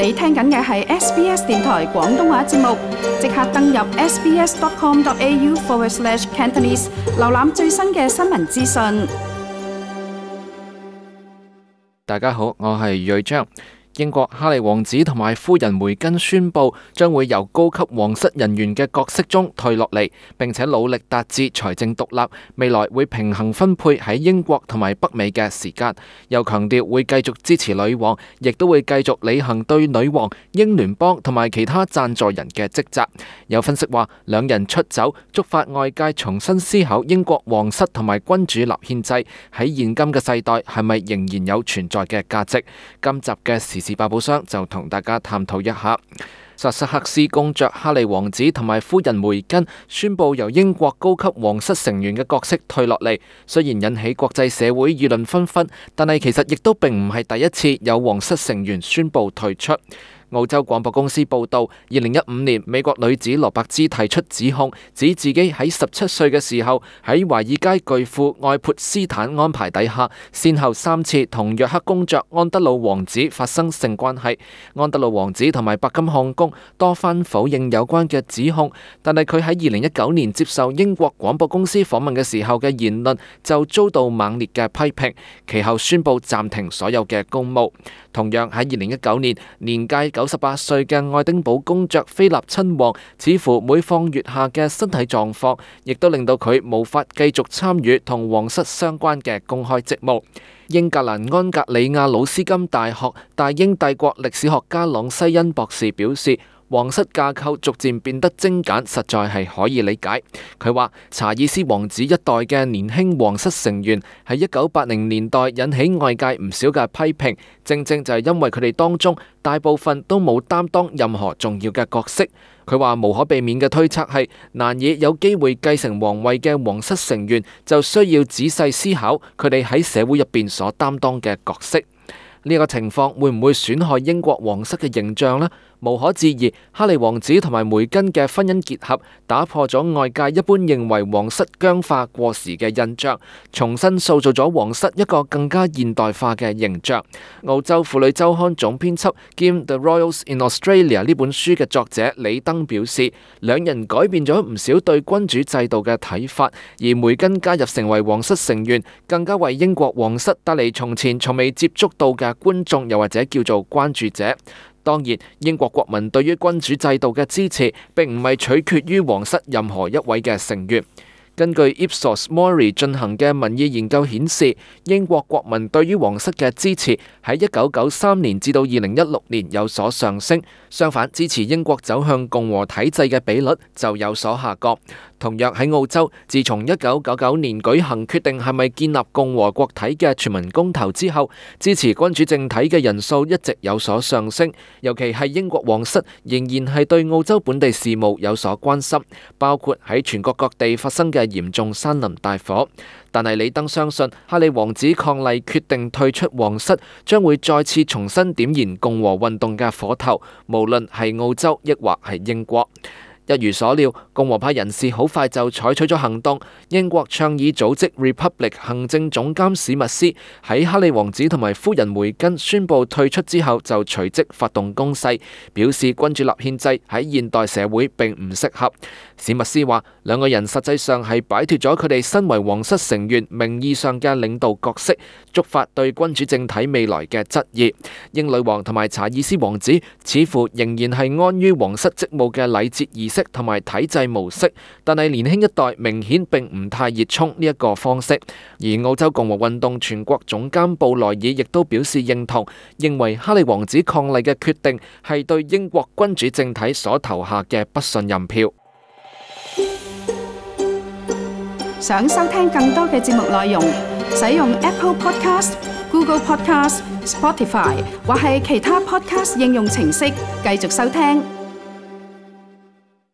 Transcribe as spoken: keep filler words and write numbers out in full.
你聽緊嘅係 S B S 電台廣東話節目，即刻登入 sbs.com.au forward slash Cantonese， 瀏覽最新嘅新聞資訊。大家好，我係瑞章。英國哈利王子同埋夫人梅根宣布，將會由高級皇室人員嘅角色中退落嚟，並且努力達至財政獨立，未來會平衡分配喺英國同埋北美嘅時間。又強調會繼續支持女王，亦都會繼續履行對女王、英聯邦同埋其他贊助人嘅職責。有分析話，兩人出走觸發外界重新思考英國皇室同埋君主立憲制喺現今嘅世代係咪仍然有存在嘅價值。今集嘅時事百寶箱就同大家探討一下。薩瑟克斯公爵哈利王子同埋夫人梅根宣布由英國高級皇室成員嘅角色退落嚟，雖然引起國際社會議論紛紛，但係其實亦都並唔係第一次有皇室成員宣布退出。澳洲廣播公司報道，二零一五年美國女子羅伯茲提出指控，指自己喺十七歲嘅時候喺華爾街巨富愛潑斯坦安排底下，先後三次同約克公爵安德魯王子發生性關係。安德魯王子同埋白金漢宮多番否認有關嘅指控，但係佢喺二零一九年接受英國廣播公司訪問嘅時候嘅言論就遭到猛烈嘅批評，其後宣布暫停所有嘅公務。同樣喺二零一九年，年屆九十八歲嘅愛丁堡公爵菲立親王，似乎每況愈下嘅身體狀況，亦都令到佢無法繼續參與同皇室相關嘅公開職務。英格蘭安格里亞魯斯金大學大英帝國歷史學家朗西恩博士表示，皇室架構逐漸變得精簡，實在係可以理解。佢話查爾斯王子一代嘅年輕皇室成員喺一九八零年代引起外界唔少嘅批評，正正就係因為佢哋當中大部分都冇擔當任何重要嘅角色。佢話無可避免嘅推測係，難以有機會繼承皇位嘅皇室成員就需要仔細思考佢哋喺社會入邊所擔當嘅角色。呢個情況會唔會損害英國皇室嘅形象呢？無可置疑，哈利王子同埋梅根嘅婚姻結合打破咗外界一般認為皇室僵化過時嘅印象，重新塑造咗皇室一個更加現代化嘅形象。澳洲婦女週刊總編輯兼 The Royals in Australia 呢本書嘅作者李登表示，兩人改變咗唔少對君主制度嘅睇法，而梅根加入成為皇室成員，更加為英國皇室帶嚟從前從未接觸到嘅觀眾，又或者叫做關注者。當然，英國國民對於君主制度嘅支持並唔係取決於皇室任何一位嘅成員。根據 Ipsos Mori 進行嘅民意研究顯示，英國國民對於皇室嘅支持喺一九九三年至到二零一六年有所上升，相反支持英國走向共和體制嘅比率就有所下降。同樣喺澳洲，自從一九九九年舉行決定係咪建立共和國體嘅全民公投之後，支持君主政體嘅人數一直有所上升，尤其係英國皇室仍然係對澳洲本地事務有所關心，包括喺全國各地發生嘅嚴重山林大火。但係李登相信，哈利王子伉儷決定退出皇室，將會再次重新點燃共和運動嘅火頭，無論係澳洲抑或係英國。一如所料，共和派人士好快就採取咗行動。英國倡議組織 Republic 行政總監史密斯喺哈利王子同埋夫人梅根宣布退出之後，就隨即發動攻勢，表示君主立憲制喺現代社會並唔適合。史密斯話，兩個人實際上係擺脫咗佢哋身為皇室成員名義上嘅領導角色，觸發對君主政體未來嘅質疑。英女王同埋查爾斯王子似乎仍然係安於皇室職務嘅禮節儀式同埋體制模式，但係年輕一代明顯並唔太熱衷呢一個方式。而澳洲共和運動全國總監布萊爾亦都表示認同，認為哈利王子伉儷嘅決定係對英國君主政體所投下嘅不信任票。想收聽更多嘅節目內容，使用 Apple Podcast、Google Podcast、Spotify 或係其他 Podcast 應用程式繼續收聽。